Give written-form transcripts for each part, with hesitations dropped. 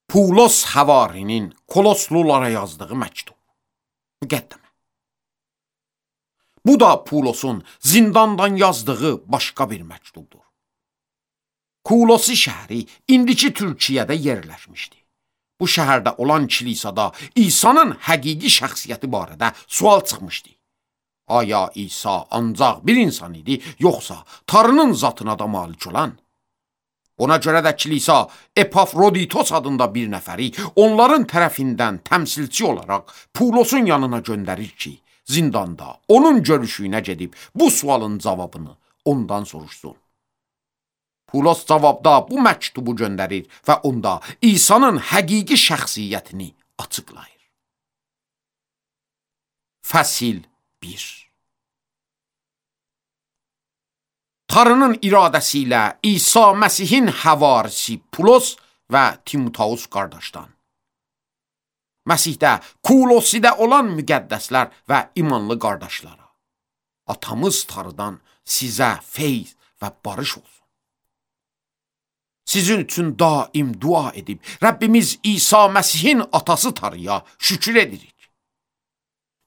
Pulos Həvarinin Koloslulara yazdığı məktub. Müqəddimə. Bu da Pulosun zindandan yazdığı başqa bir məktubdur. Kulosi şəhəri indiki Türkiyədə yerləşmişdi. Bu şəhərdə olan kilisada İsa'nın həqiqi şəxsiyyəti barədə sual çıxmışdı. Aya İsa ancaq bir insan idi, yoxsa Tanrının zatına da malik olan? Ona görə də kilisa Epafroditos adında bir nəfəri onların tərəfindən təmsilçi olaraq Pulosun yanına göndərir ki, zindanda onun görüşüyünə gedib bu sualın cavabını ondan soruşsun. Pulos cavabda bu məktubu göndərir və onda İsa'nın həqiqi şəxsiyyətini açıqlayır. Fəsil 1. Tanrının iradəsi ilə İsa Məsihin həvarisi Pulos və Timoteus qardaşdan. Məsihdə, Kulosidə olan müqəddəslər və imanlı qardaşlara, atamız Tanrıdan sizə feyz və barış olsun. Sizin üçün daim dua edib, Rəbbimiz İsa Məsihin atası Tanrıya şükür edirik.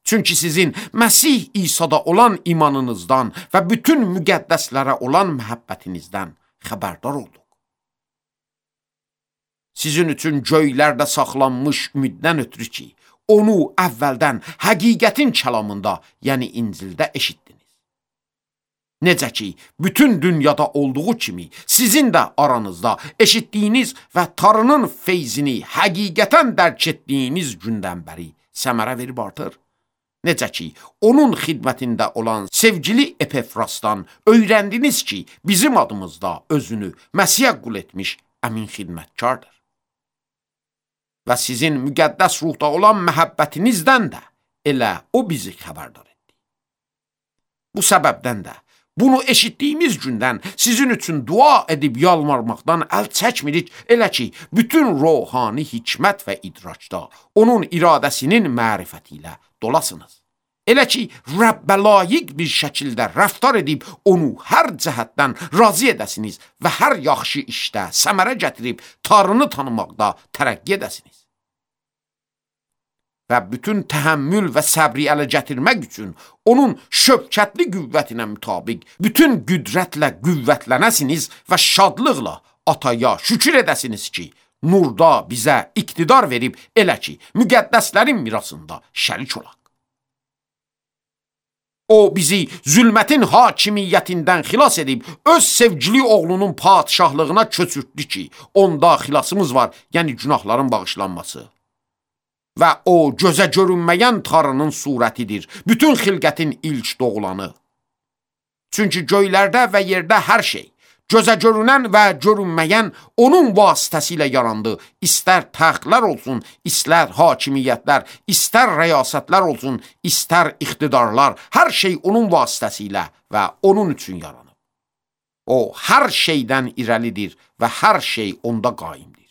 Çünki sizin Məsih İsa'da olan imanınızdan və bütün müqəddəslərə olan məhəbbətinizdən xəbərdar olduq. Sizin üçün göylərdə saxlanmış ümiddən ötürü ki, onu əvvəldən həqiqətin kəlamında, yəni İncildə eşitdiniz. Necə ki, bütün dünyada olduğu kimi sizin də aranızda eşitdiyiniz və Tanrının feyzini həqiqətən dərk etdiyiniz gündən bəri səmərə verib artır. Necə ki, onun xidmətində olan sevgili Epafrasdan öyrəndiniz ki, bizim adımızda özünü Məsihə qul etmiş əmin xidmətkardır. Və sizin müqəddəs ruhda olan məhəbbətinizdən də elə o bizi xəbərdar etdi. Bu səbəbdən də bunu eşitdiyimiz gündən sizin üçün dua edib yalvarmaqdan əl çəkmirik, elə ki, bütün ruhani hikmət və idraçda onun iradəsinin mərifəti ilə dolasınız. Elə ki, Rəbbə layiq bir şəkildə rəftar edib onu hər cəhətdən razı edəsiniz və hər yaxşı işdə səmərə gətirib Tanrını tanımaqda tərəqqi edəsiniz. Və bütün təhəmmül və səbri ələ gətirmək üçün onun şöbkətli qüvvətinə mütabiq bütün qüdrətlə qüvvətlənəsiniz və şadlıqla ataya şükür edəsiniz ki, nurda bizə iqtidar verib elə ki, müqəddəslərin mirasında şərik olaq. O bizi zülmətin hakimiyyətindən xilas edib, öz sevgili oğlunun padişahlığına köçürtdü ki, onda xilasımız var, yəni günahların bağışlanması. Və o gözə görünməyən Tanrının surətidir, bütün xilqətin ilk doğulanı. Çünki göylərdə və yerdə hər şey, gözə görünən və görünməyən onun vasitəsilə yarandı. İstər təxtlər olsun, istər hakimiyyətlər, istər rəyasətlər olsun, istər iqtidarlar, hər şey onun vasitəsilə və onun üçün yaranıb. O, hər şeydən irəlidir və hər şey onda qaimdir.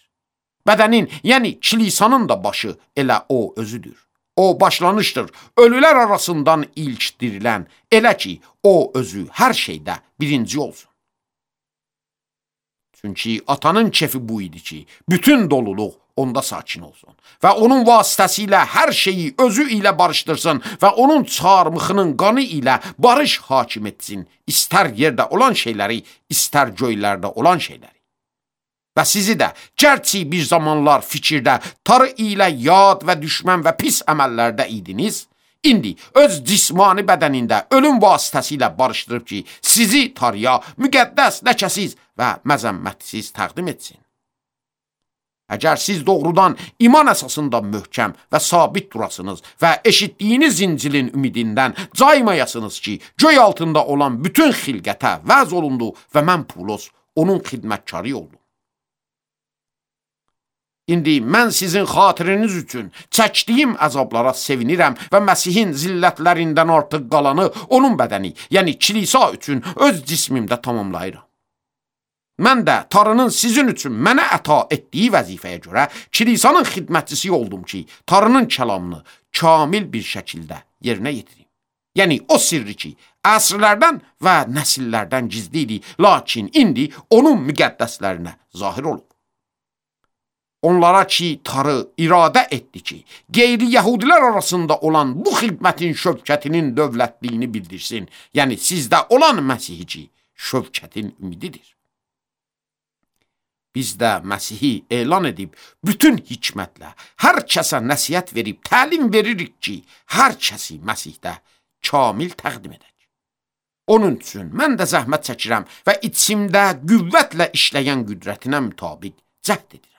Bədənin, yəni kilisanın da başı elə o özüdür. O başlanışdır, ölülər arasından ilk dirilən, elə ki, o özü hər şeydə birinci olsun. Çünki atanın kefi bu idi ki, bütün doluluq onda sakin olsun və onun vasitəsilə hər şeyi özü ilə barışdırsın və onun çarmıxının qanı ilə barış hakim etsin, istər yerdə olan şeyləri, istər göylərdə olan şeyləri. Və sizi də, gərçi bir zamanlar fikirdə, Tanrı ilə yad və düşmən və pis əməllərdə idiniz, indi öz cismani bədənində ölüm vasitəsilə barışdırıb ki, sizi Tanrıya müqəddəs, ləkəsiz və məzəmmətsiz təqdim etsin. Əgər siz doğrudan iman əsasında möhkəm və sabit durasınız və eşitdiyiniz İncilin ümidindən caymayasınız ki, göy altında olan bütün xilqətə vəz olundu və mən Pulos onun xidmətkarı oldum. İndi mən sizin xatiriniz üçün çəkdiyim əzablara sevinirəm və Məsihin zillətlərindən artıq qalanı onun bədəni, yəni kilisa üçün öz cismimdə tamamlayıram. Mən də Tanrının sizin üçün mənə əta etdiyi vəzifəyə görə kilisanın xidmətçisi oldum ki, Tanrının kəlamını kamil bir şəkildə yerinə yetirim. Yəni o sirri ki, əsrlərdən və nəsillərdən gizli idi, lakin indi onun müqəddəslərinə zahir olub. onlara ki tarı iradə etdi ki, qeyri-yəhudilər arasında olan bu xidmətin şövkətinin dövlətliyini bildirsin. Yəni, sizdə olan Məsihi ki, şövkətin ümididir. Biz də Məsihi elan edib, bütün hikmətlə hər kəsə nəsihət verib, təlim veririk ki, hər kəsi Məsihdə kamil təqdim edək. Onun üçün mən də zəhmət çəkirəm və içimdə qüvvətlə işləyən qüdrətinə mütabiq cəhd edir.